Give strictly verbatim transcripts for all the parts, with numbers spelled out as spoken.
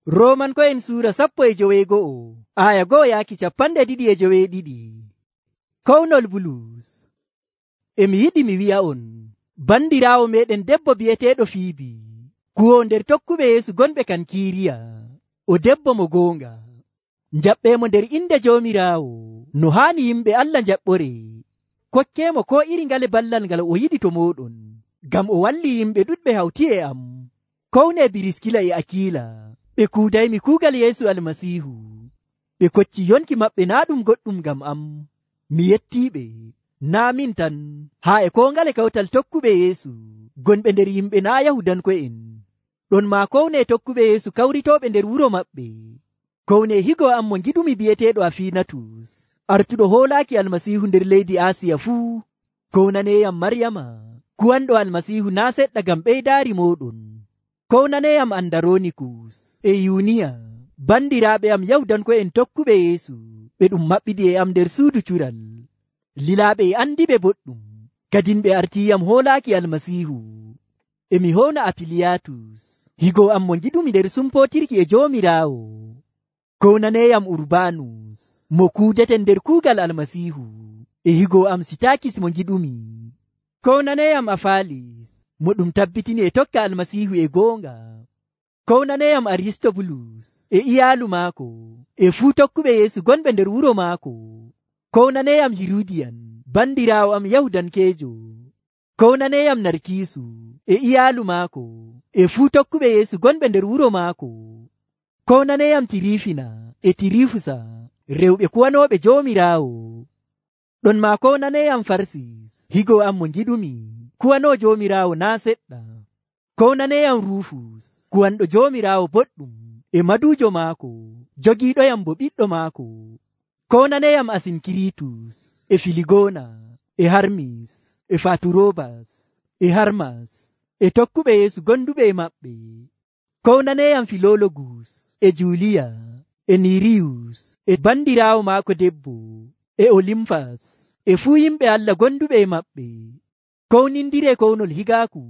Roomanko'en suura sappo e joweego'o aya go'o yaaki capanɗe ɗiɗi e joweeɗiɗi. Kownol Bulus. E mi yiɗi mi wi'a'on, bandiraawo meɗen debbo bi'eteeɗo Fiibi, kuwoo nder tokkuɓe Yeesu gonɓe Kankiiriya, o debbo mo goonga. Njaɓɓeemo nder inde Joomiraawo no haani yimɓe Allah njaɓɓore. Kokkeemo koo iri ngale ballal ngal o yiɗi to mooɗon, ngam o walli yimɓe ɗuɗɓe hawti e am. Kownee Biriskila e Akiila, ɓe kuudaymi kuugal Yeesu Almasiihu. Ɓe kocci yonki maɓɓe naa ɗum goɗɗum ngam am. Mi yettiiɓe, naa min tan, haa e koo ngale kawtal tokkuɓe Yeesu gonɓe nder yimɓe naa Yahudanko'en. Ɗon maa kownee tokkuɓe Yeesu kawritooɓe nder wuro maɓɓe. Kownee higo am mo ngiɗumi bi'eteeɗo Afiinatus, artuɗo hoolaaki Almasiihu nder leydi Aasiya fuu. Kownaneeyam Maryama, kuwanɗo Almasiihu naa seɗɗa ngam ɓeydaari mooɗon. Kownaneeyam Andaronikus e Yuniya, bandiraaɓe am Yahudanko'en tokkuɓe Yeesu, ɓe ɗum maɓɓiɗi e am nder suudu cural. Lilaaɓe e andiɓe boɗɗum, kadin ɓe artiiyam hoolaaki Almasiihu. E mi howna Apiliyatus, higo am mo ngiɗumi nder sumpootirki e Joomiraawo. Kownaneeyam Urbaanus, mo kuudeten nder kuugal Almasiihu, e higo am Sitaakis mo ngiɗumi. Kownaneeyam Afaalis, mo ɗum tabbitini e tokka Almasiihu e goonga. Kownaneeyam Aristobulus e iyaalu maako, e fuu tokkuɓe Yeesu gonɓe nder wuro maako. Kownaneeyam Hirudiyan, bandiraawo am Yahudankeejo. Kownaneeyam Narkiisu e iyaalu maako, e fuu tokkuɓe Yeesu gonɓe nder wuro maako. Kownaneeyam Tirifina e Tirifusa, rewɓe kuwanooɓe Joomiraawo. Ɗon maa kownaneeyam Farsis, higo am mo ngiɗumi, kuwanoo Joomiraawo naa seɗɗa. Kownaneeyam Rufus, kuwanɗo Joomiraawo boɗɗum, e maduujo maako, jogiiɗoyam bo ɓiɗɗo maako. Kownaneeyam Asinkiritus e Filigona e Harmis e Faturobas e Harmas e tokkuɓe Yeesu gonduɓe e maɓɓe. Kownaneeyam Filologus e Juliya e Niriyus e bandiraawo maako debbo e Olimfas e fuu yimɓe Allah gonduɓe e maɓɓe. Kownindire kownol higaaku.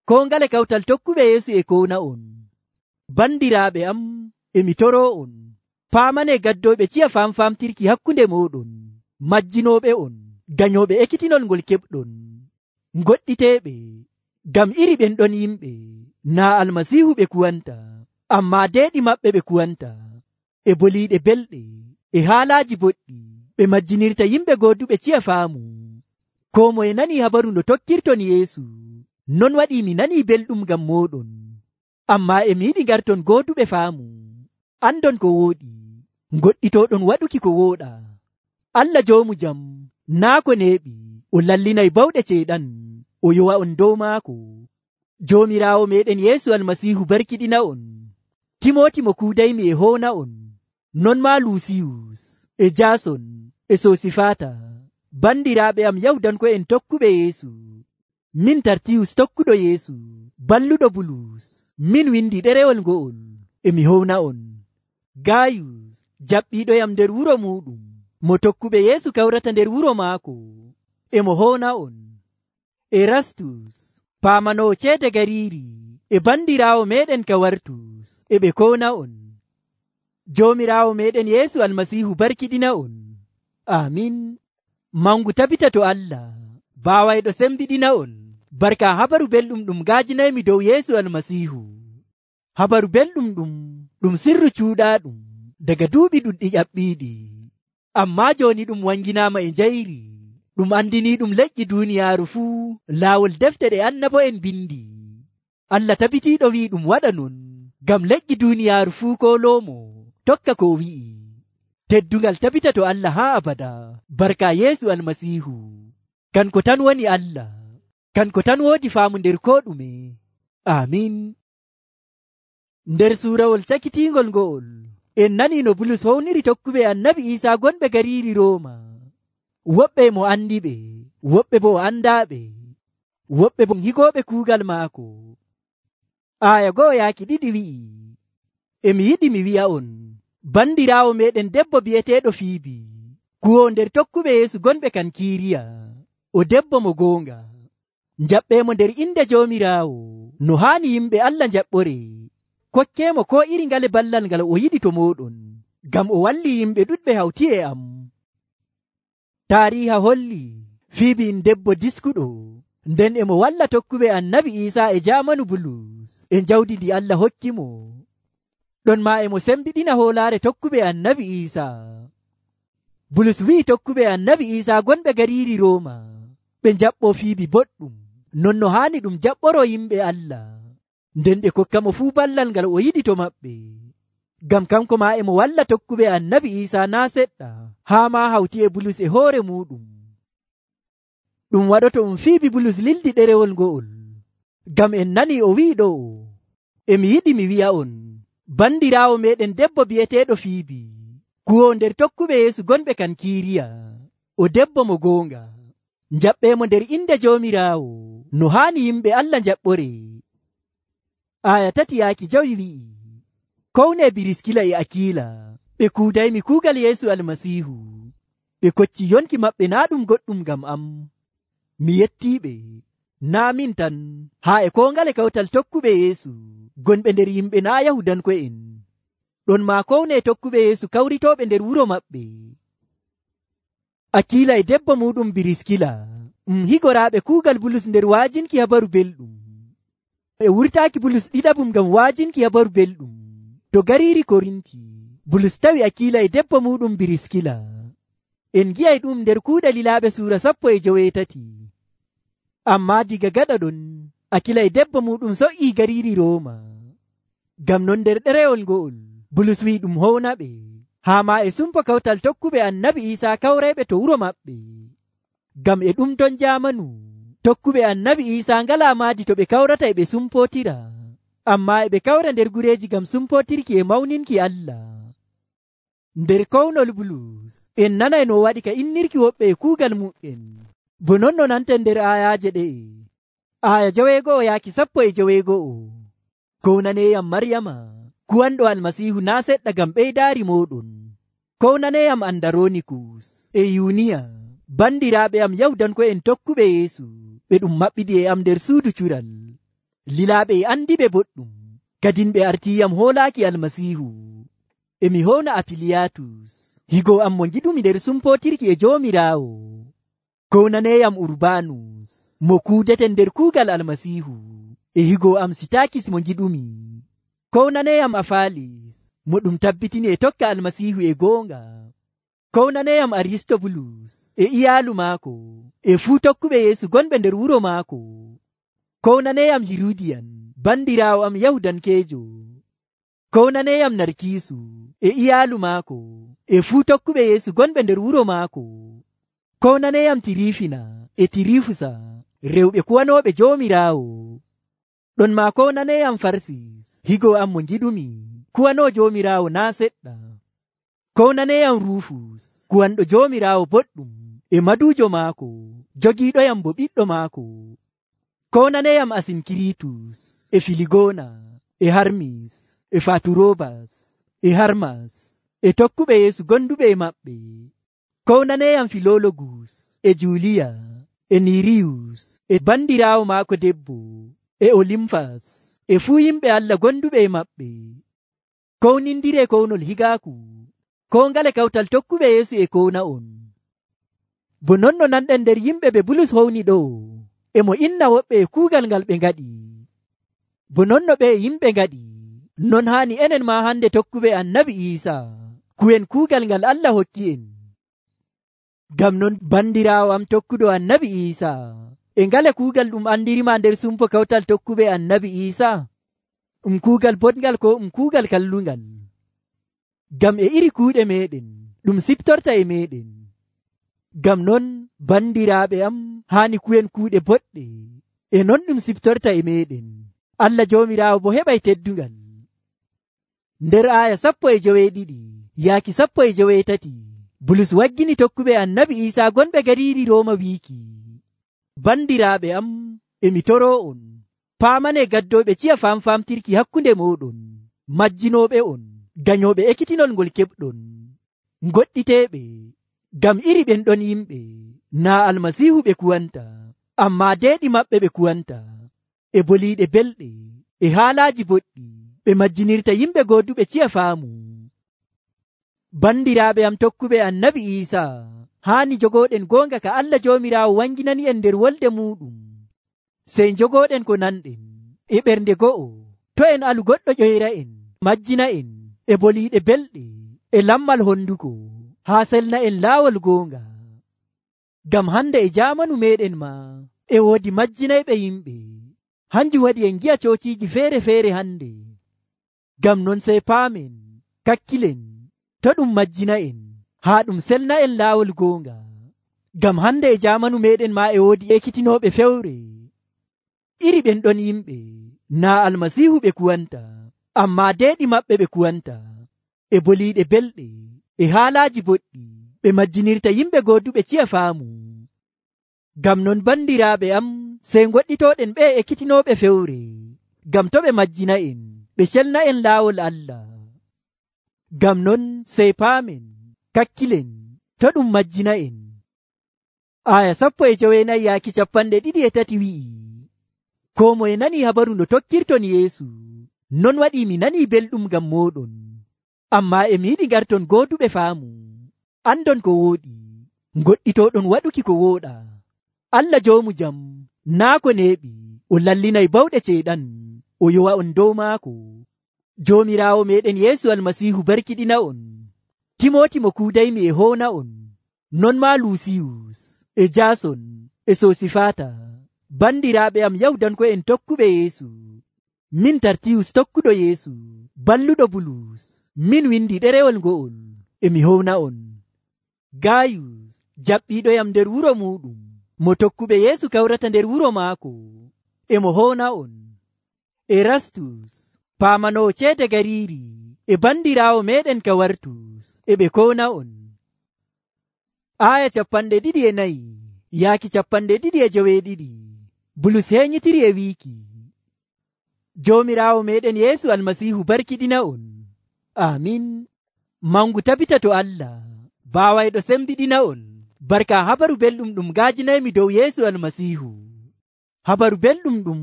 Koo ngale kawtal tokkuɓe Yeesu e kowna on. Bandiraaɓe am, e mi toroo on, paamane gaddooɓe ciya famfamtirki hakkunde mooɗon, majjinooɓe on, ganyooɓe ekkitinol ngol keɓɗon, goɗɗiteeɓe, ngam iri ɓen ɗon yimɓe naa Almasiihu ɓe kuwanta, ammaa deeɗi maɓɓe ɓe kuwanta, e boliiɗe belɗe, e haalaaji boɗɗi, ɓe majjinirta yimɓe gooduɓe ciya faamu. Koo moye nanii habaru no tokkirton Yeesu, non waɗii mi nanii belɗum ngam mooɗon, ammaa e mi yiɗi ngarton gooduɓe faamu, andon ko wooɗi, goɗɗitooɗon waɗuki ko wooɗa. Allah joomu jam naa ko neeɓi o lallinay bawɗe ceeɗan o yowa on dow maako. Joomiraawo meɗen Yeesu Almasiihu barkiɗina on. Timooti mo kuudaymi e hoona on, non maa Luusiyus e Jaason e Sosifata, bandiraaɓe am Yahudanko'en tokkuɓe Yeesu. Min Tartiyus tokkuɗo Yeesu, balluɗo Bulus, min windi ɗerewol ngo'ol, e mi howna on. Gayus, jaɓɓiiɗoyam nder wuro muɗum, mo tokkuɓe Yeesu kawrata nder wuro maako, e mo howna on. Erastus, paamanoo ceede gariiri, e bandiraawo meɗen Kawartus, e ɓe kowna on. Joomiraawo meɗen Yeesu Almasiihu barkiɗina on. Amin. Mangu tabita to Allah, baawayɗo sembiɗina on, barka habaru belɗum ɗum gaajinaymi dow Yeesu Almasiihu. Habaru belɗum ɗum ɗum sirru cuuɗaaɗum daga duuɓi ɗuɗɗi ƴaɓɓiiɗi, ammaa jooni ɗum wanginaama e njayri, ɗum andiniiɗum leƴƴi duuniyaaru fuu laawol defte ɗe annabo'en bindi. Allah tabitiiɗo wi'i ɗum waɗa non, ngam leƴƴi duuniyaaru fuu kooloomo tokka ko wi'i. Teddungal tabita to Allah haa abada, barka Yeesu Almasiihu. Kanko tan woni Allah, kanko tan woodi faamu nder koo ɗume. Amin. Nder suurawol cakitiingol ngo'ol, en nanii no Bulus howniri tokkuɓe annabi Iisaa gonɓe gariiri Rooma. Woɓɓe mo andiɓe, woɓɓe bo o andaaɓe, woɓɓe bo higooɓe kuugal maako. Aaya go'o yaaki ɗiɗi wi'i, e mi yiɗi mi wi'a on, bandiraawo meɗen debbo bi'eteeɗo Fiibi, kuwoo nder tokkuɓe Yeesu gonɓe Kankiiriya, o debbo mo goonga. Njaɓɓeemo nder inde Joomiraawo no haani yimɓe Allah njaɓɓore. kokkemo ko iri ngale ballal ngal o yiɗi to moɗon, ngam o walli yimɓe ɗuɗɓe hawti e am. Taariha holli Fiibi en debbo diskuɗo, nden emo walla tokkuɓe annabi Iisaa e jaamanu Bulus e jawdi ndi Allah hokki mo. Ɗon maa emo sembiɗina hoolaare tokkuɓe annabi Iisaa. Bulus wi'i tokkuɓe annabi Iisaa gonɓe gariiri Rooma ɓe jaɓɓo Fiibi boɗɗum, non no haani ɗum jaɓɓoro yimɓe Allah, nden ɓe kokka mo fuu ballal ngal o yiɗi to maɓɓe. Ngam kanko maa emo walla tokkuɓe annabi Iisaa naa seɗɗa, haa maa hawti e Bulus e hoore muɗum. Ɗum waɗoto um Fiibi Bulus lildi ɗerewol ngo'ol, ngam en nani o wi'i ɗo, emi yiɗi mi wi'a'on, bandiraawo meɗen debbo bi'eteeɗo Fiibi, kuwoo nder tokkuɓe Yeesu gonɓe Kankiiriya, o debbo mo goonga. Jaɓɓeemo nder inde Joomiraawo, no haani yimɓe Allah jaɓɓore. Aya tati yaaki jawi wi'i, kowne Biriskila e Akiila, ɓe kuudaymi kuugal Yeesu Almasiihu, ɓe kocci yonki maɓɓe naa ɗum goɗɗum ngam am. Mi yettiiɓe, naa min tan, haa e koo ngale kawtal tokkuɓe Yeesu gonɓe nder yimɓe naa Yahudanko'en. Ɗon maa kowne tokkuɓe Yeesu kawritooɓe nder wuro maɓɓe. Akiila e debbo muɗum Biriskila um higoraaɓe kuugal Bulus nder waajinki habaru belɗum. E wurtaaki Bulus ɗiɗabum ngam waajinki habaru belɗum to gariiri Korinti, Bulus tawi Akiila e debbo muɗum Biriskila. En gi'ay ɗum nder kuuɗe Lilaaɓe suura sappo e joweetati. Ammaa diga gaɗa ɗon, Akila e debbo muɗum so'ii gariiri Rooma. Ngam non nder ɗerewol ngo'ol, Bulus wi'i ɗum hownaɓe, haa maa e sumpo kawtal tokkuɓe annabi Iisaa kawreeɓe to wuro maɓɓe. Ngam e ɗum ton jaamanu, tokkuɓe annabi Iisaa ngalaa maadi to ɓe kawrata e ɓe sumpotira, ammaa e ɓe kawra nder gureeji ngam sumpotirki e mawninki Allah. Nder kownol Bulus, en nanay no waɗi ka innirki woɓɓe e kuugal mu'en, bo non no nanten nder aayaaje ɗe'e. Aaya joweego'o yaaki sappo e joweego'o. Kownaneyam Maryama, kuwanɗo Almasiihu naa seɗɗa ngam ɓeydaari mooɗon. Kownaneyam Andaronikus e Yuniya, bandiraaɓe am Yahudanko'en tokkuɓe Yeesu, ɓe ɗum maɓɓiɗi e am nder suudu cural. Lilaaɓe e andiɓe boɗɗum, kadin ɓe artiiyam hoolaaki Almasiihu. Emi howna Apiliyatus, higo am mo ngiɗumi nder sumpotirki e Joomiraawo. Kownaneyam Urbanus, mo kuudeten nder kuugal Almasiihu, e higo am Sitakis mo ngiɗumi. Kownaneyam Afalis, mo ɗum tabbitini e tokka Almasiihu e goonga. Kownaneyam Aristobulus e iyaalu maako, e fuu tokkuɓe Yeesu gonɓe nder wuro maako. Kownaneyam Hirudiyan, bandiraawo am Yahudankeejo. Kownaneyam Narkiisu e iyaalu maako, e fuu tokkuɓe Yeesu gonɓe nder wuro maako. Kownaneyam Tirifina e Tirifusa, rewɓe kuwanooɓe Joomiraawo. Ɗon maa kownaneyam Farsis, higo am mo ngiɗumi, kuwanoo Joomiraawo naa seɗɗa. Kownaneyam Rufus, kuwanɗo Joomiraawo boɗɗum, e maduujo maako, jogiiɗoyam bo ɓiɗɗo maako. Kownaneyam Asinkiritus e Filigona e Harmis e Faturobas e Harmas e tokkuɓe Yeesu gonduɓe e maɓɓe. Kownaneyam Filologus e Juliya e Niriyus e bandiraawo maako debbo e Olimfas e fuu yimɓe Allah gonduɓe e maɓɓe. Kownindire kownol higaaku, ko ngale kawtal tokkuɓe Yeesu e kowna on. Bo non no nanɗen nder yimɓe ɓe Bulus howni ɗo, emo inna woɓɓe e kuugal ngal ɓe ngaɗi. Bo non no ɓe yimɓe ngaɗi, non haani enen maa hande tokkuɓe annabi Iisaa kuwen kuugal ngal Allah hokki en. Ngam non bandiraawo am tokkuɗo annabi Iisaa, e ngale kuugal ɗum andirima nder sumpo kawtal tokkuɓe annabi Iisaa, ɗum kuugal boɗngal ko ɗum kuugal kallungal. Ngam e iri kuuɗe meɗen ɗum siftorta e meɗen. Ngam non bandiraaɓe am haani kuwen kuuɗe boɗɗe, e non ɗum siftorta e meɗen. Allah Joomiraawo bo heɓay teddungal. Nder aaya sappo e joweeɗiɗi yaaki sappo e joweetati, Bulus waggini tokkuɓe annabi Iisaa gonɓe gariiri Rooma wiiki, bandiraaɓe am, emi toroo on, paamane gaddooɓe ciya famfamtirki hakkunde mooɗon, majjinooɓe on, gañooɓe ekkitinol ngol keɓɗon, goɗɗiteeɓe, ngam iri ɓen ɗon yimɓe naa Almasiihu ɓe kuwanta, ammaa deeɗi maɓɓe ɓe kuwanta, e boliiɗe belɗe, e haalaaji boɗɗi, ɓe majjinirta yimɓe gooduɓe ciya faamu. Bandiraaɓe am tokkuɓe annabi Iisaa, haani jogooɗen goonga ka Allah Joomiraawo wanginani en nder wolde muɗum. Sey jogooɗen ko nanɗen e ɓernde go'o, to en alu goɗɗo ƴoyra en, majjina en e boliiɗe belɗe e lammal honduko, haa selna en laawol goonga. Ngam hande e jaamanu meɗen ma e woodi majjinayɓe yimɓe, hanjum waɗi en gi'a coociiji feere-feere hande. Ngam non sey paamen, kakkilen, to ɗum majjina en, haa ɗum selna en laawol goonga. Ngam hande e jaamanu meɗen ma e woodi ekkitinooɓe fewre. Iri ɓen ɗon yimɓe naa almasiihu ɓe kuwanta, ammaa deeɗi maɓɓe ɓe kuwanta, e boliiɗe belɗe e haalaaji boɗɗi ɓe majjinirta yimɓe gooduɓe ciya faamu. Ngam non bandiraaɓe am, sey goɗɗitooɗen ɓe ekkitinooɓe fewre, ngam to ɓe majjina en, ɓe celna en laawol Allah. Ngam non sey paamen, kakkilen, to ɗum majjina en. Aya sappo e joweenayi yaaki capanɗe ɗiɗi e tati wi'i, koo moye nanii habaru no tokkirton Yeesu, non waɗii mi nanii belɗum ngam mooɗon. Ammaa e mi yiɗi ngarton gooduɓe faamu, andon ko wooɗi, goɗɗitooɗon waɗuki ko wooɗa. Allah joomu jam naa ko neeɓi o lallinay bawɗe ceeɗan o yowa on dow maako. Joomiraawo meɗen Yeesu almasiihu barkiɗina on. Timooti mo kuudaymi e hoona on, non maa Luusiyus e Jaason e Soosifaata, bandiraaɓe am Yahudanko'en tokkuɓe Yeesu. Min Tartiyus tokkuɗo Yeesu, balluɗo Bulus, min windi ɗerewol ngo'ol e mi howna on. Gaayus jaɓɓiiɗoyam nder wuro muɗum, mo tokkuɓe Yeesu kawrata nder wuro maako, e mo howna on. Erastus paamanoo ceede gariiri e bandiraawo meɗen Kawartus, e ɓe kowna on. Aya capanɗe ɗiɗi e nayi yaaki capanɗe ɗiɗi e joweeɗiɗi. Bulus heeñitiri e wiiki, Joomiraawo meɗen Yeesu almasiihu barkiɗina on. Amin. Mangu tabita to Allah, baawayɗo sembiɗina on, barka habaru belɗum ɗum gaajinaymi dow Yeesu almasiihu. Habaru belɗum ɗum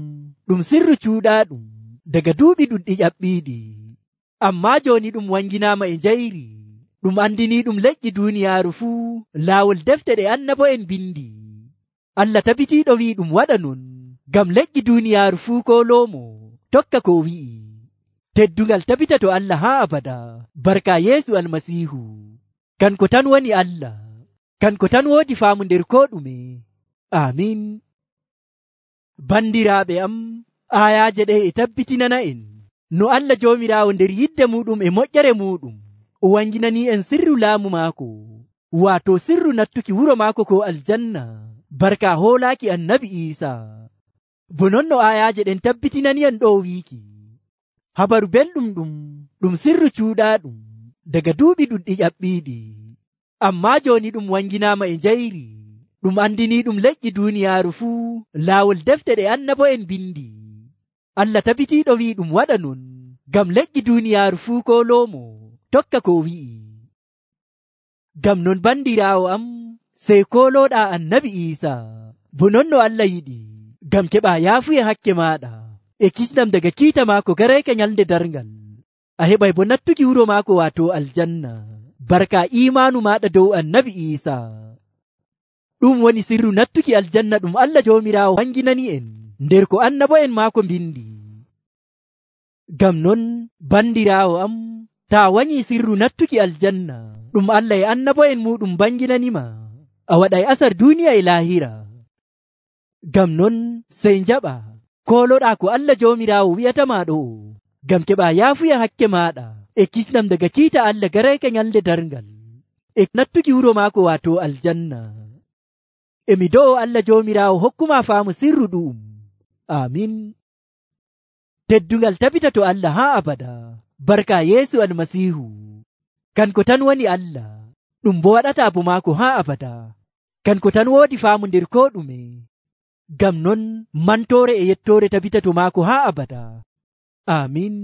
ɗum sirru cuuɗaaɗum daga duuɓi ɗuɗɗi ƴaɓɓiiɗi, ammaa jooni ɗum wanginaama e njayri, ɗum andiniiɗum leƴƴi duuniyaaru fuu laawol defte ɗe annabo'en bindi. Allah tabitiiɗo wi'i ɗum waɗa non, ngam leƴƴi duuniyaaru fuu koloomo tokka ko wi'i. Teddungal tabita to Allah haa abada, barka Yeesu almasiihu. Kanko tan woni Allah, kanko tan woodi faamu nder koo ɗume. Amin. Bandiraaɓe am, ayaaje ɗe e tabbitinana en no Allah Joomiraawo nder yidde muɗum e moƴƴere muɗum o wanginani en sirru laamu maako, waato sirru nattuki wuro maako ko aljanna, barka hoolaaki annabi Iisaa. Bo non no ayaaje ɗen tabbitinani en ɗo wiiki, habaru belɗum ɗum ɗum sirru cuuɗaaɗum daga duuɓi ɗuɗɗi ƴaɓɓiiɗi, ammaa jooni ɗum wanginaama e njayri, ɗum andini ɗum leƴƴi duuniyaaru fuu laawol defte ɗe annabo'en bindi. Allah tabitiiɗo wi'i ɗum waɗa non, ngam leƴƴi duuniyaaru fuu koloomo tokka ko wi'i. Ngam non bandiraawo am, sey kolooɗaa annabi Iisaa, bo non no Allah yiɗi, ngam keɓaa yaafuye hakke maaɗa e kisnam daga kiita maako garayka nyalnde darngal. A heɓay bo nattuki wuro maako waato aljanna, barka imaanu maaɗa dow annabi Iisaa. Ɗum woni sirru nattuki aljanna ɗum Allah Joomiraawo wanginani en nder ko annabo'en maako mbindi. Ngam non bandiraawo am, taa wanyi sirru nattuki aljanna ɗum Allah e annabo'en muɗum banginanima, a waɗay asar duniya e laahira. Ngam non sey njaɓa koloɗaa ko Allah Joomiraawo wi'atama ɗo, ngam keɓa yaafuya hakke maaɗa e kisnam daga kiita Allah garayka nyalnde darngal e nattuki wuro maako waato aljanna. E mi do'o Allah Joomiraawo hokkuma faamu sirru ɗum. Amin. Teddungal tabita to Allah haa abada, barka Yeesu almasiihu. Kanko tan woni Allah, ɗum bo waɗata bo maako haa abada. Kanko tan woodi faamu nder koo ɗume. Ngam non mantoore e yettoore tabita to maako haa abada. Amin.